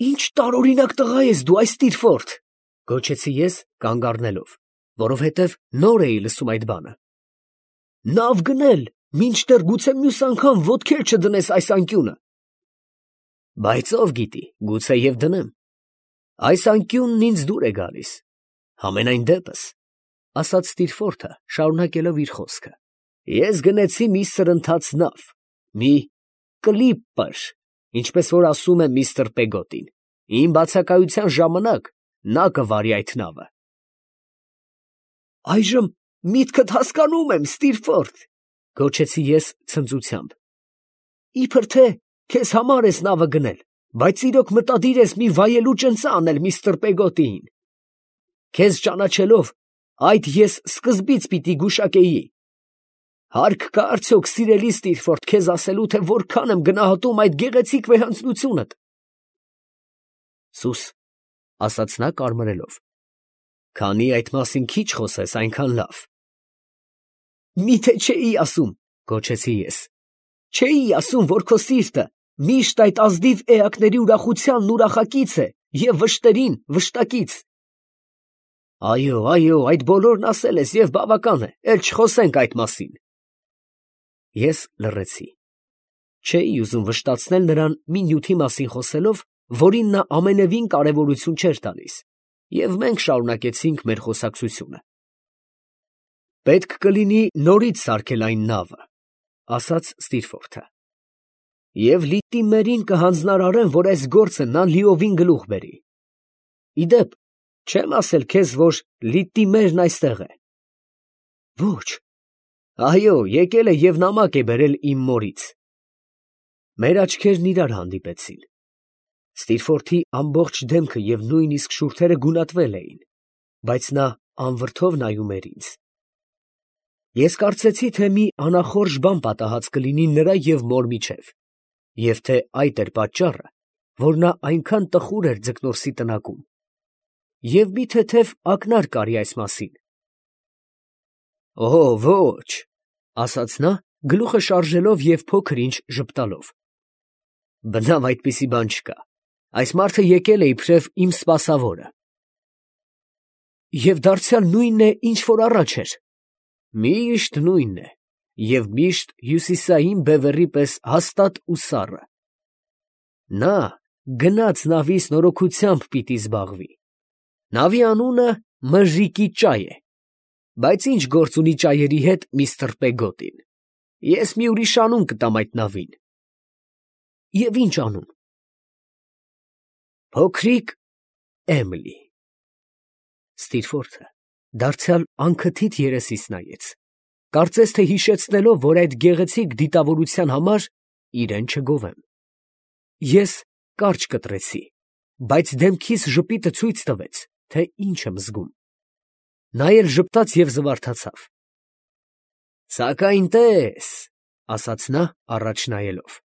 Ինչ տարօրինակ տղա ես դու, այս Ստիրֆորդ, գոչեցի ես կանգ առնելով, որովհետև նոր էի լսում այդ բանը։ Նավ գնել, մինչդեռ գուցե մյուս անգամ ոտքեր չդնես այս անկյունը։ Բայց ով գիտի, գուցե և դնեմ։ Այս անկյունն ինձ դուր է գալիս։ Համենայն դեպս, ասաց Ստիրֆորդը, շարունակելով իր խոսքը, ես գնեցի մի սրընթաց նավ, մի կլիպպր, ինչպես որ ասում է միստր Պեգոտին, իմ բացակայության ժամանակ նա կվարի այդ նավը։ Այժմ միտքդ հասկանում եմ, Ստիրֆորդ, գոչեցի ես ցնծությամբ։ Իբր թե քեզ համար ես նավը գնել, բայց իրոք մտադիր ես մի վայելուչ ընծա անել միստր Պեգոտիին։ Քեզ ճանաչելով, այդ ես սկզբից պիտի գուշակեի։ Հարկ կա արդյոք, սիրելի Ստիրֆորդ, քեզ ասելու, թե որքան եմ գնահատում այդ գեղեցիկ վեհանձնությունդ։ Սուս, ասաց նա կարմրելով, քանի այդ մասին քիչ խոսես, այնքան լավ։ Միթե չէի ասում, գոչեցի ես, չէի ասում, որ քո սիրտը միշտ այդ ազնիվ էակների ուրախությանն ուրախակից է և վշտերին վշտակից։ Այո, այդ բոլորն ասել ես և բավական է, էլ չխոսենք այդ մասին։ Ես լռեցի։ Չէի ուզում վշտացնել նրան մի նյութի մասին խոսելով, որին նա ամենևին կարևորություն չէր տալիս, և մենք շարունակեցինք մեր խոսակցությունը։ Պետք կլինի նորից սարքել այն նավը, ասաց Ստիրֆորդը, և լիտիմերին կհանձնարարեմ, որ այս գործը նա լիովին գլուխ բերի։ Իդեպ, չեմ ասել քեզ, որ լիտիմերն այստեղ է։ Ոչ, այո, եկել է և նամակ է բերել իմ մորից։ Մեր աչքերն իրար հանդիպեցին։ Ստիրֆորդի ամբողջ դեմքը և նույնիսկ շուրթերը գունատվել էին, բայց նա անվրդով նայում էր ինձ։ Ես կարծեցի, թե մի անախորժ բան պատահած կլինի նրա և մոր միջև, և թե այդ էր պատճառը, որ նա այնքան տխուր էր ձկնորսի տնակում, և մի թեթև ակնարկ արի այս մասին։ Օ, ոչ, ասաց նա, գլուխը շարժելով և փոքր ինչ ժպտալով։ Բնավ այդպիսի բան չկա, այս մարդը եկել է իբրև իմ սպասավորը։ Եվ դարձյալ նույնն է, ինչ որ առաջ էր։ Միշտ նույնն է, և միշտ հյուսիսային բևեռի պես հաստատ ու սառը։ Նա գնաց նավիս նորոգությամբ պիտի զբաղվի։ Նավի անունը Մժիկի ճայ է, բայց ինչ գործ ունի ճայերի հետ միստր Պեգոտին։ Ես մի ուրիշ անուն կտամ այդ նավին։ Եվ ինչ անուն։ Փոքրիկ Էմիլի։ Ստիրֆորդը դարձյալ անքթիթ երեսիս նայեց, կարծես թե հիշեցնելով, որ այդ գեղեցիկ դիտավորության համար իրեն չգովեմ։ Ես կարճ կտրեցի, բայց դեմքիս ժպիտը ցույց տվեց, թե ինչ եմ զգում։ Նա էլ ժպտաց և զվարթացավ։ Սակայն տես, ասաց նա առաջ նայելով,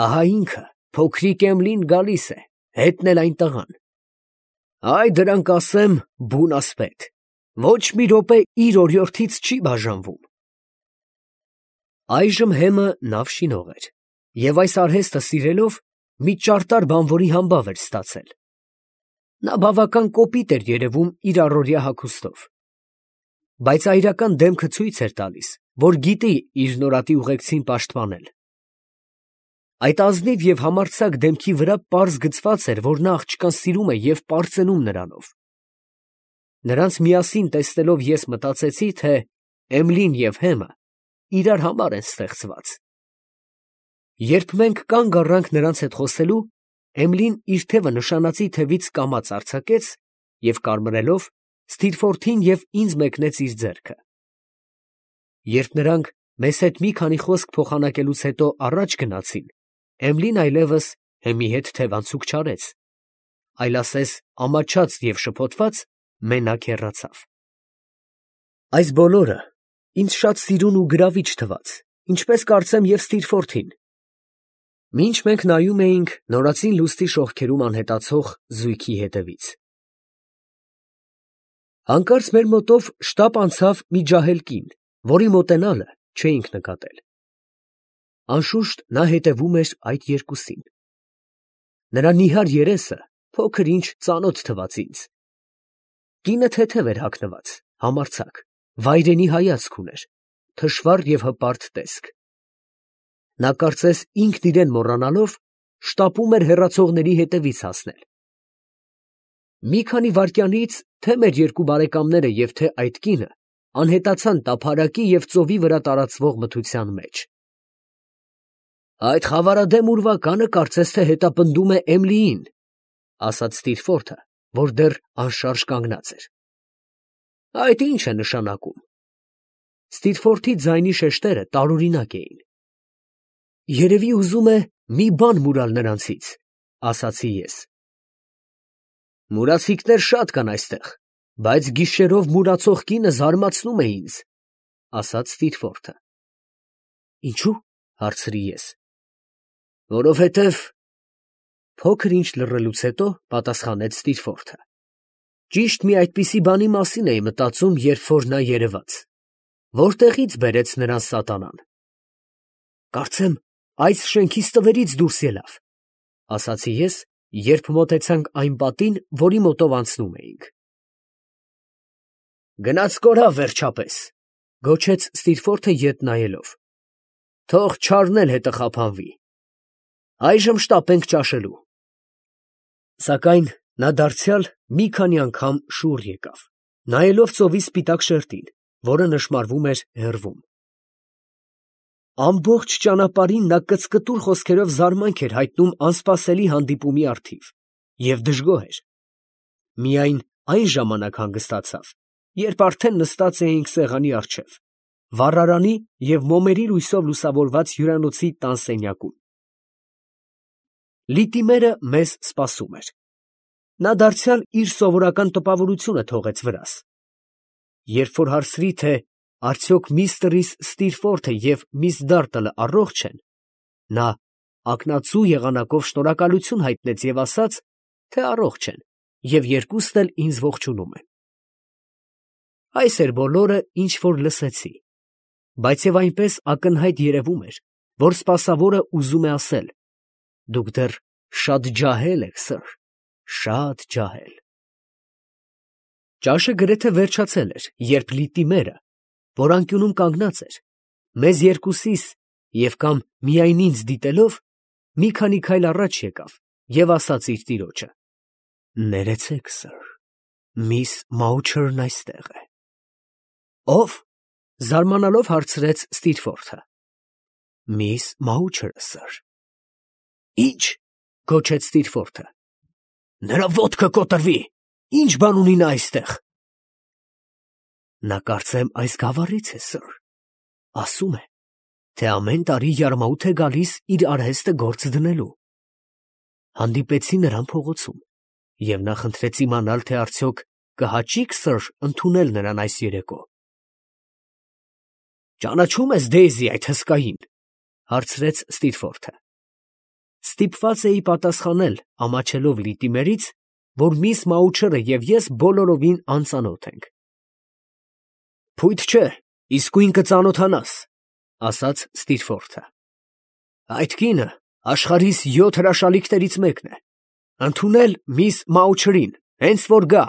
ահա ինքը, փոքրիկ Էմլին գալիս է, հետն էլ այն տղան։ Այ դրանք ասեմ բուն ասպետ, ոչ մի րոպե իր օրիորդից չի բաժանվում։ Այժմ հեմը նավ շինող էր, և այս արհեստը սիրելով, մի ճարտար բանվորի համբավ էր ստացել։ Նա բավական կոպիտ էր երևում իր առօրյա հագուստով, բայց այրական դեմքը ցույց էր տալիս, որ գիտի իր նորատի ուղեկցին պաշտպանել։ Այդ ազնիվ և համարձակ դեմքի վրա պարզ գծված էր, որ նա աղջկան սիրում է և պարծենում նրանով։ Նրանց միասին տեսնելով ես մտածեցի, թե Էմլին և հեմը իրար համար են ստեղծված։ Երբ մենք կանգ առանք նրանց հետ խոսելու, Էմլին իր թևը նշանածի թևից կամաց արձակեց և կարմրելով Ստիրֆորդին և ինձ մեկնեց իր ձեռքը։ Երբ նրանք մեզ հետ մի քանի խոսք փոխանակելուց հետո առաջ գնացին, Էմլին այլևս հեմի հետ թևանցուկ չարեց, այլ ասես ամաչած և շփոթված մենակ հեռացավ։ Այս բոլորը ինձ շատ սիրուն ու գրավիչ թվաց, ինչպես կարծեմ և Ստիրֆորդին։ Մինչ մենք նայում էինք նորածին լուսնի շողքերում անհետացող զույգի հետևից։ Հանկարծ մեր մոտով շտապ անցավ մի ջահել կին, որի մոտենալը չէինք նկատել։ Անշուշտ նա հետևում էր այդ երկուսին։ Նրա նիհար երեսը փոքր ինչ ծանոթ թվաց ինձ։ Կինը թեթև էր հագնված, համարձակ, վայրենի հայացք ուներ, թշվառ և հպարտ տեսք։ Նա կարծես ինքն իրեն մոռանալով շտապում էր հեռացողների հետևից հասնել։ Մի քանի վայրկյանից թե մեր երկու բարեկամները և թե այդ կինը անհետացան տափարակի և ծովի վրա տարածվող մթության մեջ։ «Այդ խավարադեմ ուրվականը կարծես թե հետապնդում է Էմլիին», ֊ ասաց Ստիրֆորթը, որ դեռ անշարժ կանգնած էր։ «Այդ ի՞նչ է նշանակում»։ Ստիրֆորթի ձայնի շեշտերը տարօրինակ էին։ «Երևի ուզում է մի բան մուրալ նրանցից», ֊ ասացի ես։ «Մուրացիկներ շատ կան այստեղ, բայց գիշերով մուրացող կինը զարմացնում է ինձ», ֊ ասաց Ստիրֆորթը։ «Ինչո՞ւ» հարցրի ես։ «Որովհետև…» Փոքր ինչ լռելուց հետո պատասխանեց Ստիրֆորթը։ «Ճիշտ մի այդպիսի բանի մասին էի մտածում, երբ որ նա երևաց։ Որտեղի՞ց բերեց նրան սատանան»։ «Կարծեմ, այս շենքից տվերից դուրս ելավ», ֊ ասացի ես, երբ մոտեցանք այն պատին, որի մոտով անցնում էինք։ «Գնաց կորավ վերջապես», ֊ գոչեց Ստիրֆորթը ետ նայելով։ «Թող չարն էլ հետը խափանվի։ Այժմ շտապենք ճաշելու»։ Սակայն նա դարձյալ մի քանի անգամ շուռ եկավ, նայելով ծովի սպիտակ շերտին, որը նշմարվում էր հեռվում։ Ամբողջ ճանապարհին նա կծկտուր խոսքերով զարմանք էր հայտնում անսպասելի հանդիպումի առթիվ և դժգոհ էր։ Միայն այն ժամանակ հանգստացավ, երբ արդեն նստած էինք սեղանի առջև, վառարանի և մոմերի լույսով լուսավորված հյուրանոցի տան սենյակում։ Լիտիմերը մեզ սպասում էր։ Նա դարձյալ իր սովորական տպավորությունը թողեց վրաս։ Երբ որ հարցրի, թե արդյոք միստր Ստիրֆորթը և միս Դարտլը առողջ են, նա ակնածու եղանակով շնորհակալություն հայտնեց և ասաց, թե առողջ են և երկուսն էլ ինձ ողջունում են։ Այս էր բոլորը, ինչ որ լսեցի, բայց և այնպես ակնհայտ երևում էր, որ սպասավորը ուզում է ասել. «Դուք դեռ շատ ջահել եք, սըր, շատ ջահել»։ Ճաշը գրեթե վերջացել էր, երբ Լիտիմերը, որ անկյունում կանգնած էր, մեզ երկուսիս և կամ միայն ինձ դիտելով, մի քանի քայլ առաջ եկավ և ասաց իր տիրոջը. «Ներեցեք, սըր, միս Մաուչերն այստեղ է»։ «Ո՞վ» զարմանալով հարցրեց Ստիրֆորթը։ «Միս Մաուչերը, սըր»։ «Ի՞նչ» գոչեց Ստիրֆորթը։ «Նրա ոտքը կոտրվի, ի՞նչ բան ունի նա այստեղ»։ «Նա կարծեմ այս գավառից է, սըր, ասում է, թե ամեն տարի յարմաուտ է գալիս իր արհեստը գործ դնելու։ Հանդիպեցի նրան փողոցում և նա խնդրեց իմանալ, թե արդյոք կհաճի՞ք, սըր, ընդունել նրան այս երեկո»։ «Ճանաչո՞ւմ ես Դեյզի, այդ հսկային», ֊ հարցրեց Ստիրֆորթը։ Ստիպված էի պատասխանել, ամաչելով Լիտիմերից, որ միս Մաուչերը և ես բոլորովին անծանոթ ենք։ «Փույթ չէ, իսկույն կծանոթանաս», ֊ ասաց Ստիրֆորթը։ «Այդ կինը աշխարհիս 7 հրաշալիքներից մեկն է։ Ընդունել միս Մաուչերին, հենց որ գա»։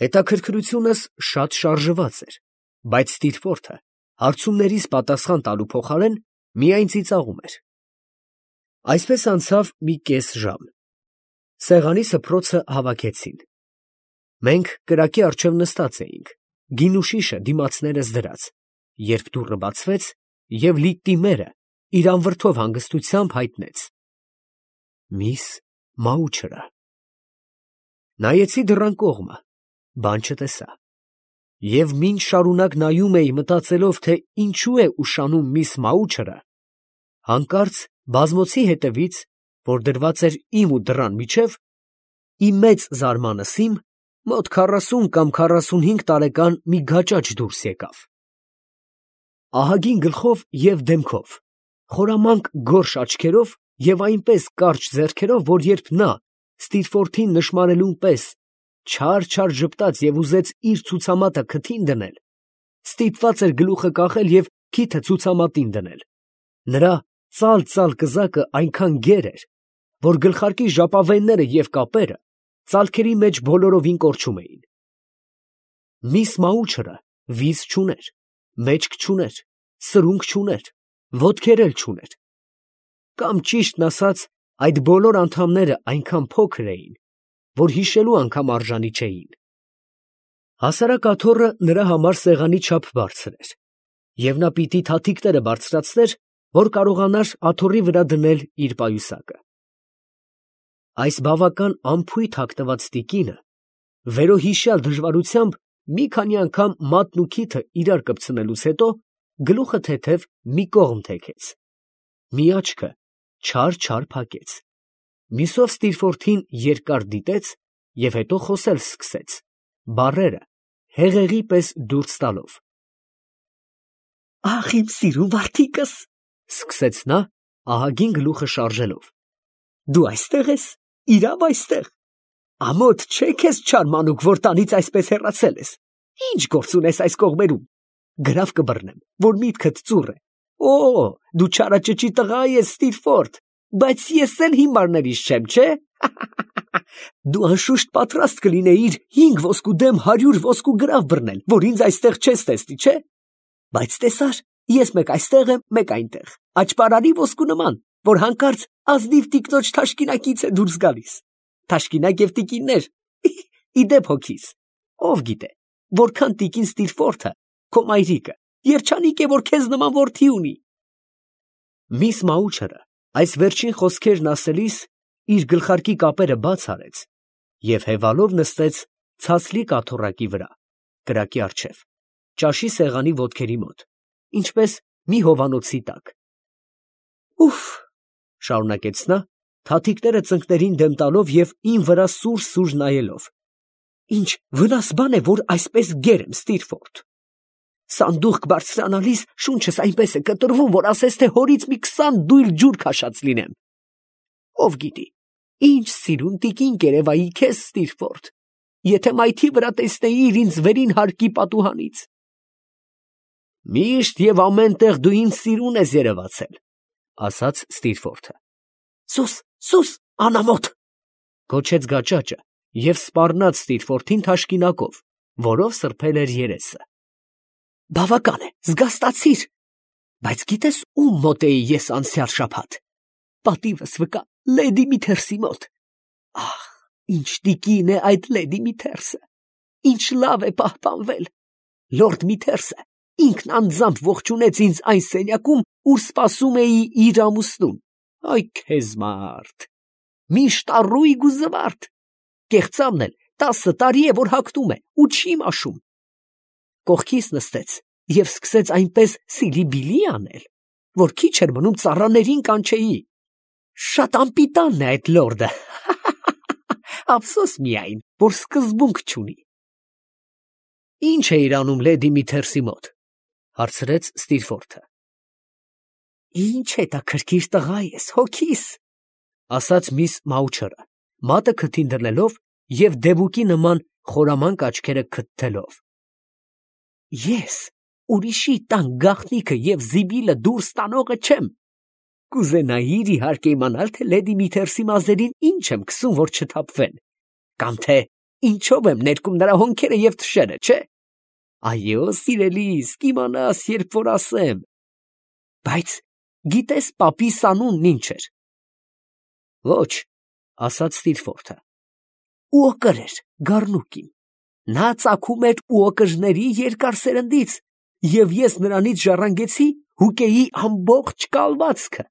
Հետաքրքրությունս շատ շարժված էր, բայց Ստիրֆորթը հարցումներիս պատասխան տալու փոխարեն միայն ծիծաղում էր։ Այսպես անցավ մի կես ժամ։ Սեղանի սփռոցը հավաքեցին։ Մենք կրակի առջև նստած էինք, գինուշիշը դիմացներս դրած, երբ դուռը բացվեց, և Լիտիմերը իր անվրդով հանգստությամբ հայտնեց. «Միս Մաուչերը»։ Նայեցի դռան կողմը, բան չտեսա։ Եվ մինչ շարունակ նայում էի, մտածելով, թե ինչու է ուշանում միս Մաուչերը, հանկարծ բազմոցի հետևից, որ դրված էր իմ ու դռան միջև, ի մեծ զարմանս իմ, մոտ 40 կամ 45 տարեկան մի գաճաճ դուրս եկավ։ Ահագին գլխով և դեմքով, խորամանկ գորշ աչքերով և այնպես կարճ ձեռքերով, որ երբ նա Ստիրֆորթին նշմարելուն պես չար ժպտաց և ուզեց իր ցուցամատը քթին դնել, ստիպված էր գլուխը կախել և քիթը ցուցամատին դնել։ Նրա ծալ կզակը այնքան գեր էր, որ գլխարկի ժապավենները և կապերը ծալքերի մեջ բոլորովին կորչում էին։ Միս Մաուչըրը վիզ չուներ, մեջք չուներ, սրունք չուներ, ոտքեր էլ չուներ, կամ ճիշտն ասած, այդ բոլոր անդամները այնքան փոքր էին, որ հիշելու անգամ արժանի չէին։ Հասարակ աթոռը նրա համար սեղանի չափ բարձր էր, և նա պիտի թաթիկները բարձրացներ, որ կարողանար աթոռի վրա դնել իր պայուսակը։ Այս բավական անփույթ հագնված տիկինը վերոհիշյալ դժվարությամբ մի քանի անգամ մատն ու քիթը իրար կպցնելուց հետո գլուխը թեթև մի կողմ թեքեց, մի աչքը չար փակեց, մյուսով Ստիրֆորդին երկար դիտեց և հետո խոսել սկսեց, բառերը հեղեղի պես դուրս տալով։ «Ախ, իմ սիրուն որդիկս, ֊ սկսեց նա, ահագին գլուխը շարժելով, ֊ դու այստեղ ես, իրավ այստեղ, ամոթ չէ քեզ չար մանուկ, որ տանից այսպես հեռացել ես, ի՞նչ գործ ունես այս կողմերում, գրավ կբռնեմ, որ միտքդ ծուռ է, դու չարաճճի տղա ես, Ստիրֆորդ, բայց ես էլ հիմարներիս չեմ, չէ՞, դու անշուշտ պատրաստ կլինեիր 5 ոսկու դեմ 100 ոսկու գրավ բռնել, որ ինձ այստեղ չես տեսնի, չէ՞, բայց տեսար, ես մեկ այստեղ եմ, մեկ այնտեղ, աճպարարի ոսկու նման, որ հանկարծ ազնիվ տիկնոջ թաշկինակից է դուրս գալիս, թաշկինակ և տիկիններ, իդեպ հոգիս, ով գիտե, որքան տիկին Ստիրֆորդը, քո մայրիկը, երջանիկ է, որ քեզ նման որդի ունի։ Միս Մաուչըրը այս վերջին խոսքերն ասելիս իր գլխարկի կապերը բաց արեց և հևալով նստեց ցածլիկ աթոռակի վրա, կրակի առջև, ճաշի սեղանի ոտքերի մոտ, ինչպես մի հովանոցի տակ։ «Ուֆ», ֊ շարունակեց նա, թաթիկները ծնկներին դեմ տալով և ին վրա սուր նայելով, «ինչ վնաս բան է, որ այսպես գեր եմ, Ստիրֆորդ. սանդուղք բարձրանալիս շունչս այնպես է կտրվում, որ ասես թե հորից մի 20 դույլ ջուր քաշած լինեմ։ Ով գիտի, ինչ սիրուն տիկին կերևայի քեզ, Ստիրֆորդ, եթե մայթի վրա տեսնեիր ինձ վերին հարկի պատուհանից»։ «Միշտ և ամեն տեղ դու ինձ սիրուն ես երևացել, ֊ ասաց Ստիրֆորդը։ ֊ Սուս, անամոթ, ֊ գոչեց գաճաճը և սպառնաց Ստիրֆորդին թաշկինակով, որով սրբել էր երեսը։ ֊ Բավական է, զգաստացիր, բայց գիտես ում մոտ էի ես անցյալ շաբաթ, պատիվս վկա, լեդի Միթերսի մոտ։ Ահ, ինչ տիկին է այդ լեդի Միթերսը, ինչ լավ է պահպանվել, լորդ Միթերսը ինքն անձամբ ողջունեց ինձ այն սենյակում, ուր սպասում էի իր ամուսնուն, այ քեզ մարդ, միշտ առույգ ու զվարթ, կեղծամն էլ 10 տարի է, որ հագնում է ու չի մաշում, կողքիս նստեց և սկսեց այնպես սիլի֊բիլի անել, որ քիչ էր մնում ծառաներին կանչեի, շատ անպիտանն է այդ լորդը, ափսոս միայն, որ սկզբունք չունի։ ֊ Ի՞նչ էիր անում լեդի Միթերսի մոտ, ֊ հարցրեց Ստիրֆորդը։ ֊ Ինչ հետաքրքիր տղա ես, հոգիս, ֊ ասաց միս Մաուչըրը, մատը քթին դնելով և դեվուկի նման խորամանկ աչքերը քթթելով։ ֊ Ես ուրիշի տան գաղտնիքը և զիբիլը դուրս տանողը չեմ, կուզենայիր իհարկե իմանալ, թե լեդի Միթերսի մազերին ինչ եմ քսում, որ չթափվեն, կամ թե ինչով եմ ներկում նրա հոնքերը և թշերը, չէ՞, այո, սիրելիս, կիմանաս, երբ որ ասեմ, բայց գիտես պապիս անունն ինչ էր։ ֊ Ոչ, ֊ ասաց Ստիրֆորդը։ ֊ Ուոկր էր, գառնուկին, նա ծագում էր ուոկրների երկար սերնդից, և ես նրանից ժառանգեցի հուկեի ամբողջ կալվածքը։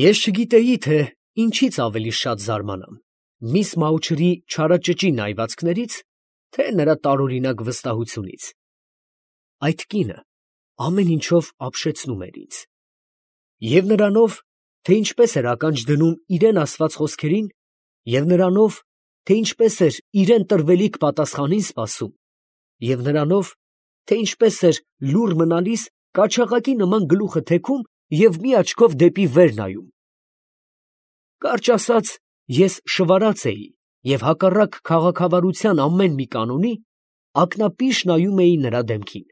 Ես չգիտեի, թե ինչից ավելի շատ զարմանամ, միս Մաուչըրի չարաճճի նայվածքներից, թե նրա տարօրինակ վստահությունից։ Այդ կինը ամեն ինչով ապշեցնում էր ինձ, և նրանով, թե ինչպես էր ականջ դնում իրեն ասված խոսքերին, և նրանով, թե ինչպես էր իրեն տրվելիք պատասխանին սպասում, և նրանով, թե ինչպես էր լուռ մնալիս կաչաղակի նման գլուխը թեքում և մի աչքով դեպի վեր նայում։ Կարճ ասած, ես շվարած էի և հակառակ քաղաքավարության ամեն մի կանոնի, ակնապիշ նայում էի նրա դեմքին։